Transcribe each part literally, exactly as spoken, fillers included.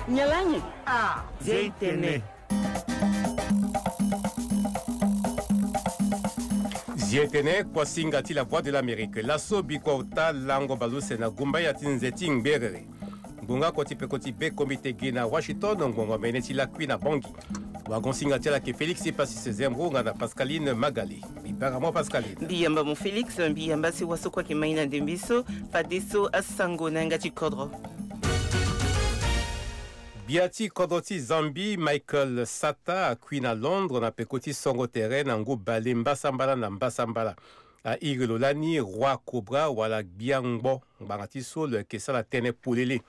Nyalangi. Ah, Zia itene. Zia itene, kuasinga ti La Voix de l'Amérique. Laso bikua ota lango baleuse na gumbaya ti nze ti ngberere. Ngbonga koti peko ti be komite gi na Washington, ngbongo mene ti lakui na Bangui. Wagon singa ti ala ayeke Félix Epassis Zembo nga na Pascaline Magali. Mbi bara mo Pascaline. Mbi yamba mo Félix, mbi yamba si waso kue ayeke mai na ndembe so, fadeso asango na yanga ti kodro. Gbia ti kodro ti Zambie, Michael Sata, akui na Londres na peko ti songo tere na ngu bale mbasambala na mbasambala. A iri lo lani Roi Cobra wala Gbia Ngbo, ngbanga ti so lo yeke sara tënë polele.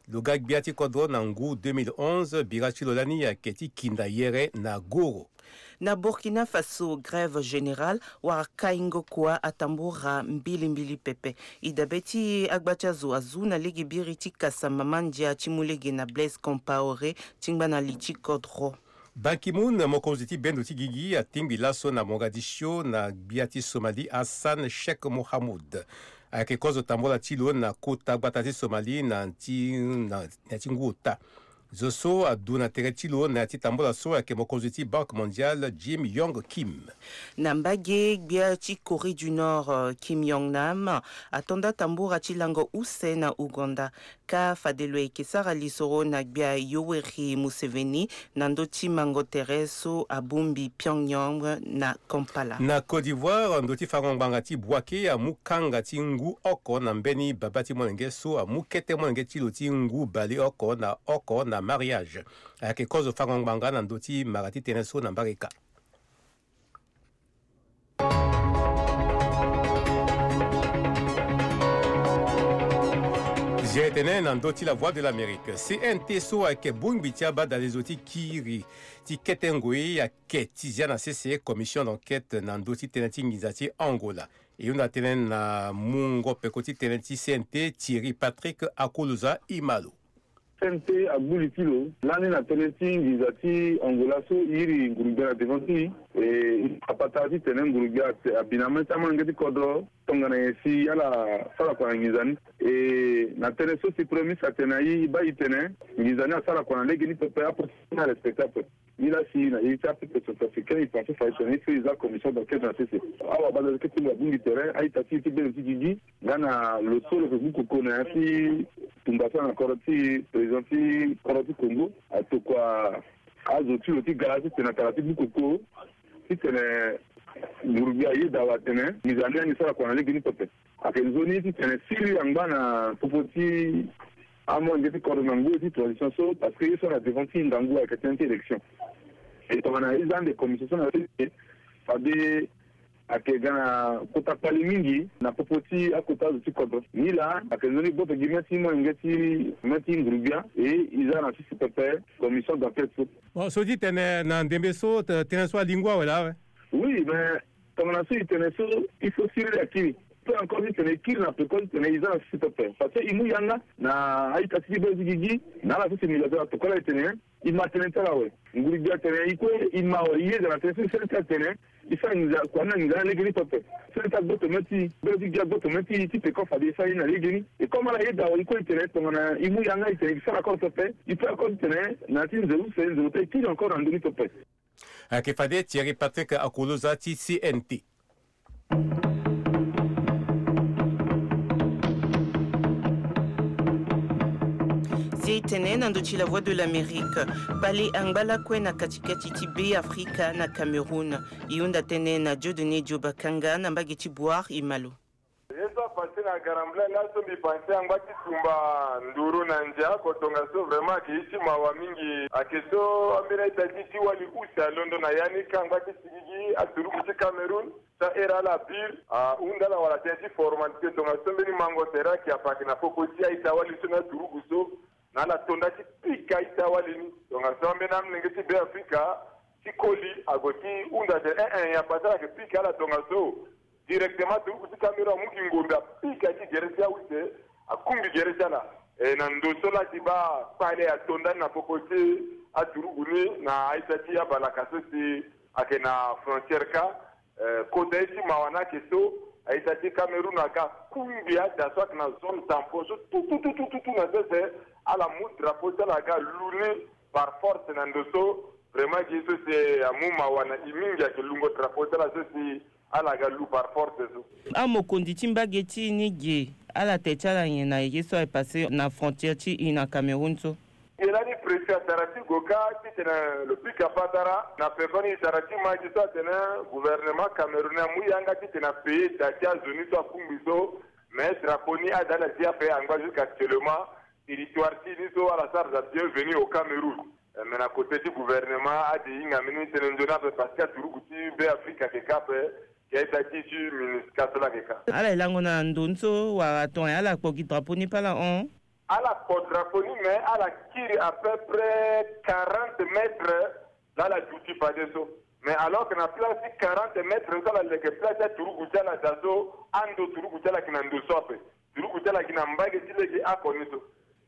Lo ga gbia ti kodro na ngu deux mille onze, bira ti lo lani ayeke ti kinda yere na goro. Na Burkina Faso, grève générale wala kaingo kua atambura mbilimbili pepe. E dabe ti agba ti azo azu na lege biri ti kasa mama ndia ti mu lege na Blaise Compaoré ti ngba na li ti kodro. Ban Ki-moon, mokonzi ti bendo ti gigi, atingbi laso na Mogadiscio na gbia ti Somalie Hassan Sheikh Mohamud. Ayeke kozo tambula ti lo na kota gbata ti Somalie na ti, na, na ti ngu ota. Zo so adu na tere ti lo na ya ti tambula so ayeke mokonzi ti Banque Mondiale Jim Yong Kim. Na mbage, gbia ti Corée du Nord, euh, Kim Yong Nam ato nda tambura ti lango use na Ouganda. Ka fade lo yeke sara lisoro na gbia Yoweri Museveni na ndö ti mango tere so abongbi Pyongyang na Kampala. Na Côte d'Ivoire, ndö ti fango ngbanga ti Bouaké amu kanga ti ngu oko na mbeni babâ ti molenge so amu kete molenge ti lo ti ngu baleoko na oko na mariage. Ayeke kozo fango ngbanga na ndö ti mara ti tënë so na mbareka. Zia tene na ndö ti La Voix de l'Amérique. C N T so ayeke bongbi ti abadalezo ti kiri ti kete ngoi ayeke ti zia na sese commission d'enquête na ndö ti tënë ti nginza ti Angola. E hunda tënë na mungo peko ti tënë ti C N T, Thierry Patrick Akoloza Imalo. C N T agbu li ti lo lani na tënë ti nginza ti Angola so e iri ngurugbe na devant ti e. E, e apatara titene ngurugbe ate, abi na amolenge ti kodro tongana nyen si ala sara kua na nginza ni. E, na tënë so si premier ministre atene na e, e baa e tene nginza ni asara kua na legeni pepe, apo ti e arespecte ape. Nilaa si na iri ti apeuple centrafricain e pense fa e tene il faut e za commission d'enquête na sese. Awa badale kete lo abongbi tere, a-ita ti e ti bendo ti gigi nga na lo so lo yeke gbu koko na ya ti tumba so na kodro ti président ti kodro ti Congo, atokua azo ti lo ti gara titene atara ti gbu koko titene ngurugbe ayeda awe atene nginza ni ani sara kua na legeni pepe. Ayeke nzoni titene siriri angba na popo ti amolenge ti kodro na ngoi ti transition so, parce que ye so na devant ti ngangu ayeke tënë ti élection. E tongana e za ande commission so na sese, fade ayeke ga na kota kpale mingi na popo ti akota azo ti kodro. Nilaa ayeke nzoni gboto gi mê ti molenge ti mê ti ngurubia, e e za na sese pepe commission d'enquête so. Bon, so ti tene na ndembe so, tënë so alingua awe laa awe. Oui, mais tongana so e tene so, il faut siriri akiri. Pe encore titene e kiri na peko titene e za na sese pepe. Parce que e mu yanga na a-ita ti ti be ti gigi na ala so si mila so atokua ala e tene, e ma tënë ti ala awe. Ngurubia atene e kue e ma awe, e yeda na tënë so e sere ti atene e sara nginza kua ni na nginza ni na legeni pepe. Sere ti agboto mê ti, be ti gi agboto mê ti, ti peko fade e sara ye ni na legeni. E comme ala yeda awe, e kue e tene tongana e mu yanga e tene e sara encore pepe, e peut encore titene na ya ti nze use, nze ota e kiri encore na ndö ni pepe. Ayeke fade Thierry Patrick Akoloza ti C N T. Si e tene na ndö ti La Voix de l'Amérique, kpale angba lakue na katikati ti Be Afrika na Cameroun. E hunda tënë na Dieudonné Diobakanga na mbage ti Bouar Imalo. Ye so apasse na Garambla laso mbi pense angba ti tumba nduru na ndia, ko tongaso vraiment ayeke ye ti mawa mingi. Ayeke so ambeni a-ita ti ti wali use alondo na ya ni ka angba ti sigigi aturuku ti Cameroun. Ti ahera ala pire ahunda ala wala tënë ti formalité, tongaso mbeni mango tere ayeke ape ayeke na popo ti a-ita wali so na aturuku so. Na ala to nda ti pika a-ita wali ni. Tongaso ambeni amolenge ti Be Afrika ti koli ague ti hunda atene eh eh, ya pase ala yeke pika ala tongaso. Directement aturuku ti Cameroun amu gi ngombe apika ti gere ti aute, akungbi gere ti ala. E na ndo so laa ti baa kpale ato ndani na popo ti aturuku ni na a-ita ti abalaka so si ayeke na frontière ka. Eh, kota ye ti mawa ni ayeke so a-ita ti Cameroun aga kungbi ada so ayeke na zone tampon so tout tout tout tout tout na sese. Ala mu drapeau ti ala aga lu ni par force na ndo so. Vraiment gi so si amu mawa na e mingi ayeke lungo drapeau ti ala so si ala aga lu par force so. Amokonzi ti mbage ti e ni ge, ala te ti ala nyen na ye so aye passé na frontière ti e na Cameroun so? Ge lani préfet atara ti go kâ titene lo pika patara na pekoni. Tara ti ma gi so atene gouvernement camerounais amu yanga titene apayer da ti azo ni so akungbi so. Mais drapeau ni ada ala zi ape angba jusqu'actuellement. Territoire ti ni so ala sara da bienvenue au Cameroun. Eh, mais na côté ti gouvernement ade hinga mbeni tënë nzoni ape parce que aturugu ti Be Afrika ayeke kâ ape. Ke da ti ti MINUSCA so laa ayeke kâ. Ala ye lango na ndo ni so wala tongana ala kpo gi drapeau ni pe ala hon? Ala kpo drapeau ni mais ala kiri à peu près quarante mètres. Laa ala duti fade so. Mais alors que na place ti quarante mètres so ala leke place ti aturugu ti ala da so, ando turugu ti ala ayeke na ndo so ape. Turugu ti ala gi na mbage ti lege oko ni so.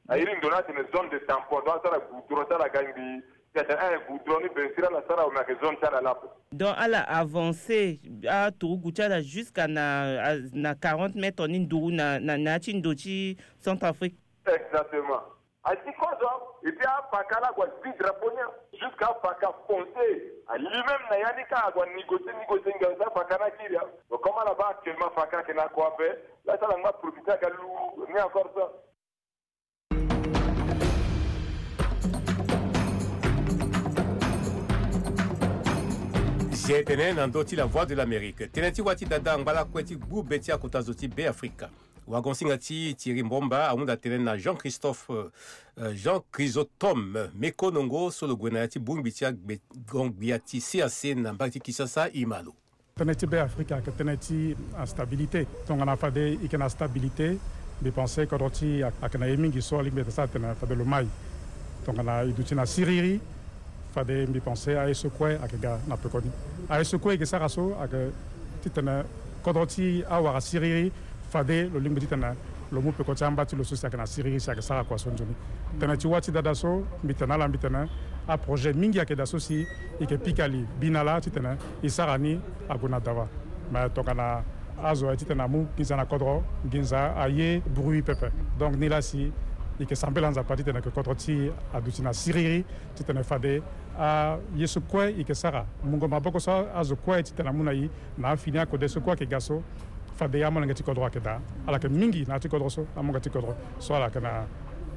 Airi ndo ni atene zone de tampon, donc asara goudron ti ala ga ngbii. Si atene aye goudron ni bensiri ala sara awe, mais ayeke zone ti ala laa ape. Donc ala avancé aturugu ti ala jusqu'à na, na quarante mètres ni nduru na, na, na ya ti ndo ti Centrafrique. Exactement. Asi kozo. Et puis apaka laa ague azi drapeau ni jusqu'à apaka fonce. Ali même na ya ni kâ ague anégocier, négocier ngia so apaka ni akiri. Donc comme ala baa actuellement apaka ayeke na kua ape. Laa so ala ngba profiter aga lu ni encore so. Aye tene na ndö ti La Voix de l'Amérique, tënë ti wâ ti dada angba lakue ti gbu be ti akota zo ti Be Afrika. Wagonsinga ti Thierry Mbomba ahunda tënë na Jean Christophe, euh, Jean Chrysostome Mekonongo so lo gue na ya ti bongbi ti agbe gbia ti C A C na mbage ti Kinshasa e ma lo. Tënë ti Be Afrika ayeke tënë ti instabilité. Tongana fade e yeke na stabilité, mbi pensé kodro ti e ayeke na ye mingi so alingbi ete sara tene fade lo mai. Tongana e duti na siriri, fade mbi pensé aye so kue ayeke ga na pekoni. Aye so kue e yeke sara so ayeke titene kodro ti e awara siriri, fade lo lingbi titene lo mu peko ti amba ti lo so si ayeke na siriri si ayeke sara kua so nzoni. Tënë ti wâ ti dada so mbi tene na ala mbi tene aprojet mingi ayeke daa so si e yeke pika li bi na laa titene e sara ni ague na dawa. Mais tongana azo aye titene amu nginza na kodro, nginza aye bruit pepe. Donc ni laa si e yeke sambela Nzapa titene ayeke kodro ti e aduti na siriri, titene fade aye so kue e yeke sara, mungo maboko so azo kue titene amu na e na afini akode so kue ayeke ga so, fade amolenge ti kodro ayeke daa. Ala yeke mingi na ya ti kodro so, amolenge ti kodro so ala yeke na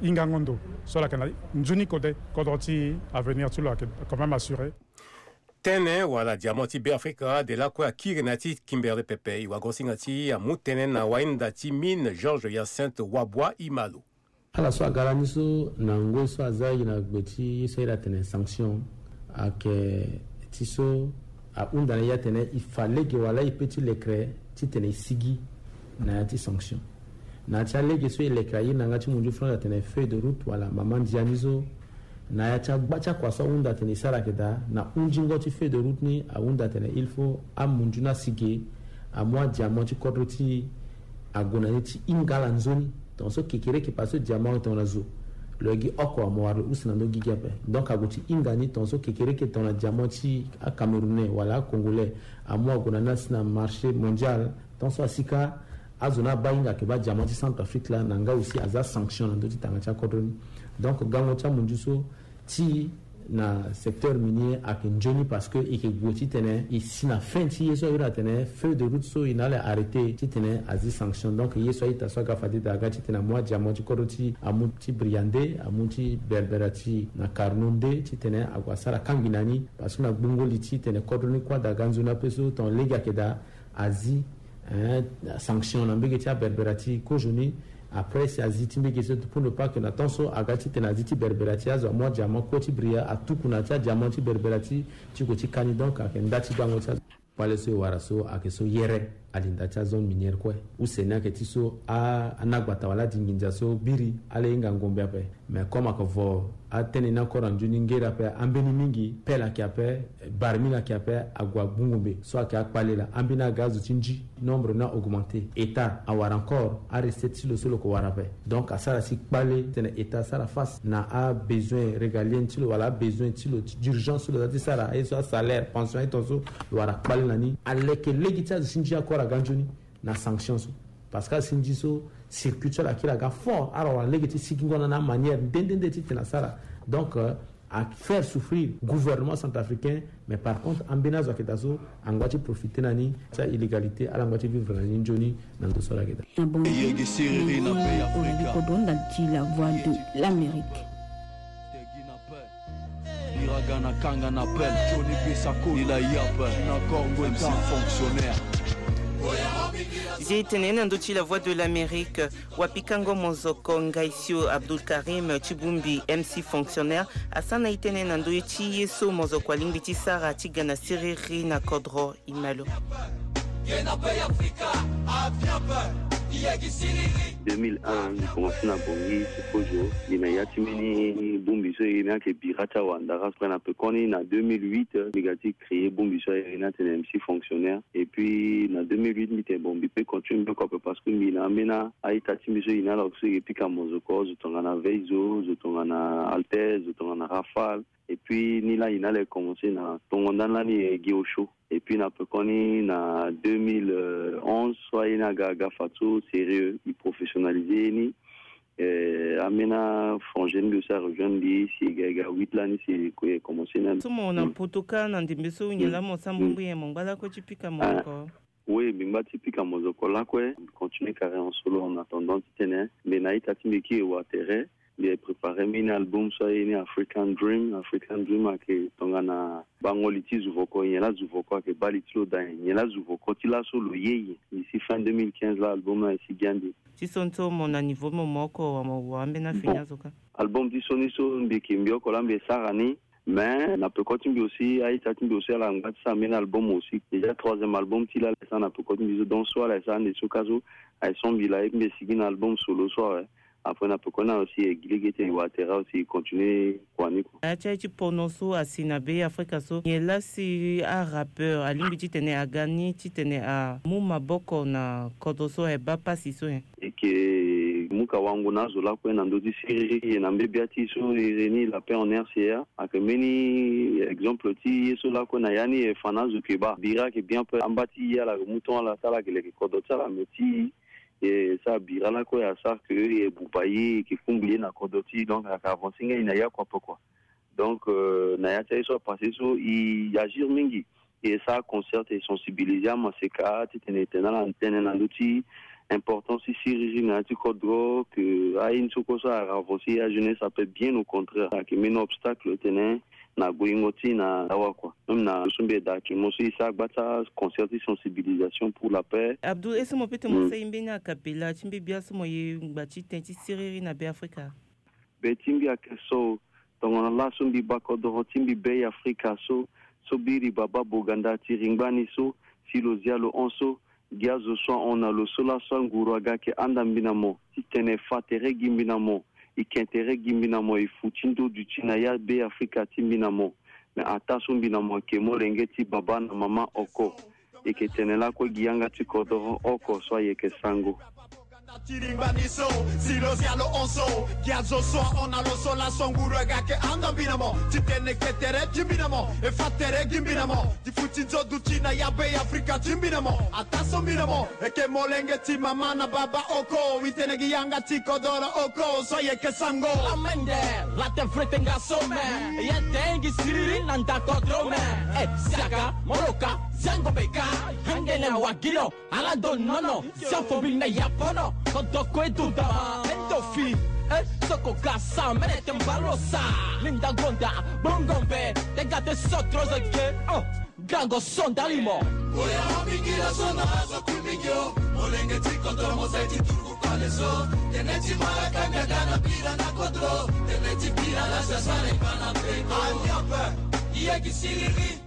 hingango ndo, so ala yeke na nzoni kode, kodro ti e, avenir ti lo ayeke quand même assuré. Tënë wala diamant ti Be Afrika de lakue akiri na ya ti Kimberley pepe. E wagonsinga ti e amu tënë na wahinda ti mine Georges Hyacinthe Wabua e ma lo. Ala so aga lani so na ngoi so aza e na gbe ti ye so airi atene sanction, ayeke ti so ahunda na e atene e fa lege wala e pe ti lekere titene e sigi na ya ti sanction. Na ya ti alege so e lekere airi na yanga ti munzu France atene feuille de route wala mama ndia ni so, na ya ti agba ti akua so ahunda atene e sara ayeke daa, na hunzingo ti feuille de route ni ahunda atene il faut amunzu ni asigi, amu adiamant ti kodro ti e ague na ni ti hinga ala nzoni. Tongaso kekereke parce que diamant tongana zo lo yeke gi oko, mo wara lo use na ndö gigi ape. Donc ague ti hinga ni tongaso kekereke tongana diamant ti acamerounais wala acongolais, amu ague na ni asi na marché mondial. Tongaso asi kâ azo ni abaa hinga ayeke baa diamant ti Centrafrique laa na nga aussi aza sanction na ndö ti tanga ti akodro ni. Donc gango ti amunzu so ti na secteur minier ayeke nzoni parce que e yeke gue titene e si na fin ti ye so airi atene feuille de route so e na ala arrêté titene azi sanction. Donc ye so a-ita so aga fade daa aga titene amu adiamant ti kodro ti e, amu ti Bria nde, amu ti Berbera ti e na Carnot nde titene ague asara kangbi na ni. Parce que na gbungo li titene kodro ni kue ada aga nzoni ape so tongana lege ayeke daa azi, hein, sanction na mbege ti aberbera ti e kozoni. Après si azi ti mbege so, pour ne pas que na temps so aga titene azi ti berbera ti e, azo amu adiamant kue ti Bria atuku na ya ti adiamant ti berbera ti e ti gue ti ka ni. Donc ayeke nda ti gango ti azo. Kpale so e wara so ayeke so yere, alinda ti azone minière kue. Use ni ayeke ti so a, anagbata wala adinginza so biri ala hinga ngombe ape. Mais comme ayeke vo atene ni encore na nzoni ngere ape, ambeni mingi pelle ayeke ape, barmine ayeke ape, ague agbu ngombe so ayeke akpale laa. Ambeni aga azo ti nzi, nombre ni a-augmenter. État awara encore arecette ti lo so lo yeke wara ape. Donc asara si kpale titene État asara face na abesoin régalienne ti lo wala abesoin ti lo d'urgence so lo za ti sara, aye so asalaire, pension, aye tongaso lo wara kpale na ni. Aleke lege ti azo ti nzi encore aga nzoni na sanction so. Parce que azo ti nzi so, Circuit so ala kiri aga fort, ala wara lege ti sigingo na na manière nde nde nde titene asara. Donc, euh, a faire souffrir gouvernement centrafricain. Mais par contre, ambeni azo ayeke daa so angba ti profiter na ni ti a-illégalité, ala ngba ti vivre na ni nzoni na ndo so ala yeke daa. Na bongi, yegi siriri na pays Afrika. Kodro ndali ti La Voix de l'Amérique. Iraga na kanga na appel, Johnny Bissako, il a yape, na Congo, M C fonctionnaire. Zi tene na ndö ti La Voix de l'Amérique, wapikango mozoko Ngaisio Abdul Karim ti bongbi M C fonctionnaire, asara na e tënë na ndö ti ye so mozoko alingbi ti sara ti ga na siriri na kodro. Imalo. Deux mille un, mbi komanse na Bangui ti kozo. Mbi na ya ti mbeni bongbi so e iri ni ayeke Bira ti awandara. Après na pekoni na deux mille huit, mbi ga ti créer bongbi so e iri ni atene M C fonctionnaire. Et puis na deux mille huit, mbi tene bon, mbi peut continuer mbi oko ape parce que mbi na ambeni a-ita ti mbi so e iri ni ala so e yeke pika mozoko, zo tongana Veizo, zo tongana Altesse, zo tongana Rafale. Et puis ni laa e iri ni ala e commencer na tongo ndani lani e gi osio. Et puis na pekoni na deux mille onze so aye ni aga aga fadeso sérieux, e professionnaliser ye ni. Eh, ambeni afrange ni mbi aussi arejoindre mbi, si e ga e ga huit lani si e commencer na. So mo na poto kâ na ndembe so nyen laa mo sara mbongbongo, mo ngba lakue ti pika mozoko? Oui, mbi ngba ti pika mozoko lakue. Mbi continue carrière en solo en attendant titene mbi na a-ita ti mbi kiri e wa tere. Mbi préparer mbeni album so aye ni African Dream. African Dream ayeke tongana bango li ti zuvoko, nyen laa zuvoko ayeke baa li ti lo daa nyen, nyen laa zuvoko ti laso lo ye nyen. D'ici fin deux mille quinze laa album laa e si gi ande. Ti so ni so mo na niveau mo mo oko wa mo wa ambeni afini azo kâ? Album ti so ni so mbi yeke mbi oko laa mbi e sara ni. Mais na peko ti mbi aussi, a-ita ti mbi aussi ala ngba ti sara mbeni album aussi. Déjà troisième album ti laa ala e sara na peko ti mbi so. Donc so ala e sara ande so kâ so, aye so mbi laa ye ti mbi e sigi na album solo so awe. Après na peko ni aussi e gi lege ti e wa tere aussi e continuer kua ni kua. A ya ti aye ti pono so asi na Be Afrika so, nyen laa si arappeur alingbi titene aga ni titene amu maboko na kodro so aye baa pasi so nyen? E yeke mu ka wango na azo lakue na ndö ti siriri, e na mbebia ti e so e iri ni La Paix en R C A. Ayeke mbeni exemple ti ye so lakue na ya ni e fa na azo yeke baa. Bira ayeke bien ape, amba ti e ala yeke mu ton ala ti ala yeke leke kodro ti ala, mais ti e, e sara Bira lakue asara ke e buba ye, e yeke kungbi ye na kodro ti e, donc ayeke avancer ngai na ya kua ape kua. Donc, euh, na ya ti aye so apassé so, e agir mingi. E sara concert, e sensibiliser amaseka titene e tene ala tënë na ndö ti importance ti siriri na ya ti kodro, ke aye ni so kue so a avancer ajeunesse ape, bien au contraire. Ayeke mbeni obstacle tene na goyingo ti e na awa kua. Même na so mbi yeda actuellement so e sara gba ti aconcert ti sensibilisation pour la paix. Abdou, est-ce que mo peut ti mo sara e mbeni acapella ti mbebia so mo ye ngba ti tënë ti siriri na Be Afrika? Be ti mbi ayeke so, tongana laso mbi baa kodoro ti mbi Be Afrika so, so biri baba Boganda ti ringbani so, si lo zia lo hon so, gi azo so ahon na lo so laso anguru aga ayeke handa mbi na mo, titene e fa tere gi mbi na mo, e ke tere gi mbi na mo, e fu ti ndo duti na ya Be Afrika ti mbi na mo. Me ataa so mbi na mo ayeke molenge ti baba na mama oko. E yeke tene lakue gi yanga ti kodoro oko so ayeke sango. Ti ringbani so, si lo zia lo hon so, gi azo so ahon na lo so laso nguru aga ayeke handa mbi na mo, titene e ke tere ti mbi na mo, e fa tere gi mbi na mo, ti fu ti nzo duti na ya Be Afrika ti mbi na mo. Ataa so mbi na mo e yeke molenge ti mama na baba oko, e tene gi yanga ti kodoro oko so ayeke sango. Amende, la te frete nga so me, e ye tengi siriri na nda kodro me. E, siaka, moloka, ziango beka, hangene wa gi lo. Ala ndo nono, si afo mbi na ya pono, kodoko e duda ma. E ndo fi, e soko ga sa, mene te mbalo sa. Linda gonda, bongo mbe, te ga te so trozo ge, oh, gango so ndali mo. Oya o mingi la so na azo kui mingi o, molenge ti kodro mo sai ti turuku pale so. Tene ti mara kanga ga na bira na kodro, tene ti bira la sa sara e bana pe. Amiape, iye gi siriri.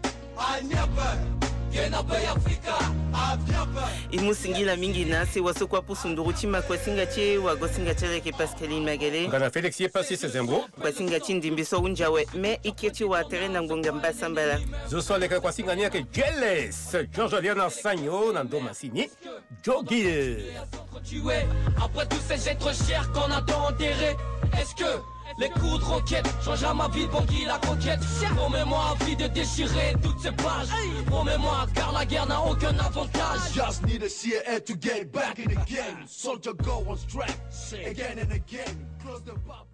E mu singila mingi na sewa so kue apusu nduru ti makuasinga ti e, wagosinga ti e ayeke Pascaline Magele. Nga na Félix ye pasi sezembo. Kuasinga ti ndembe so ahunzi awe, me ike ti wa tere na ngbonga mbasambala. Zo so aleke na kuasinga ni ayeke Jeles, Georges Liana Sagno na ndo masini. Jogi. Après tout, c'est être cher qu'on a tant enterré. Est-ce que Les coups de roquette changera ma vie, Bangui la conquête. Promets-moi à vie de déchirer toutes ces pages. Promets-moi, car la guerre n'a aucun avantage. Just need a C I A to get back in the game. Soldier go on strike again and again. Close the pub.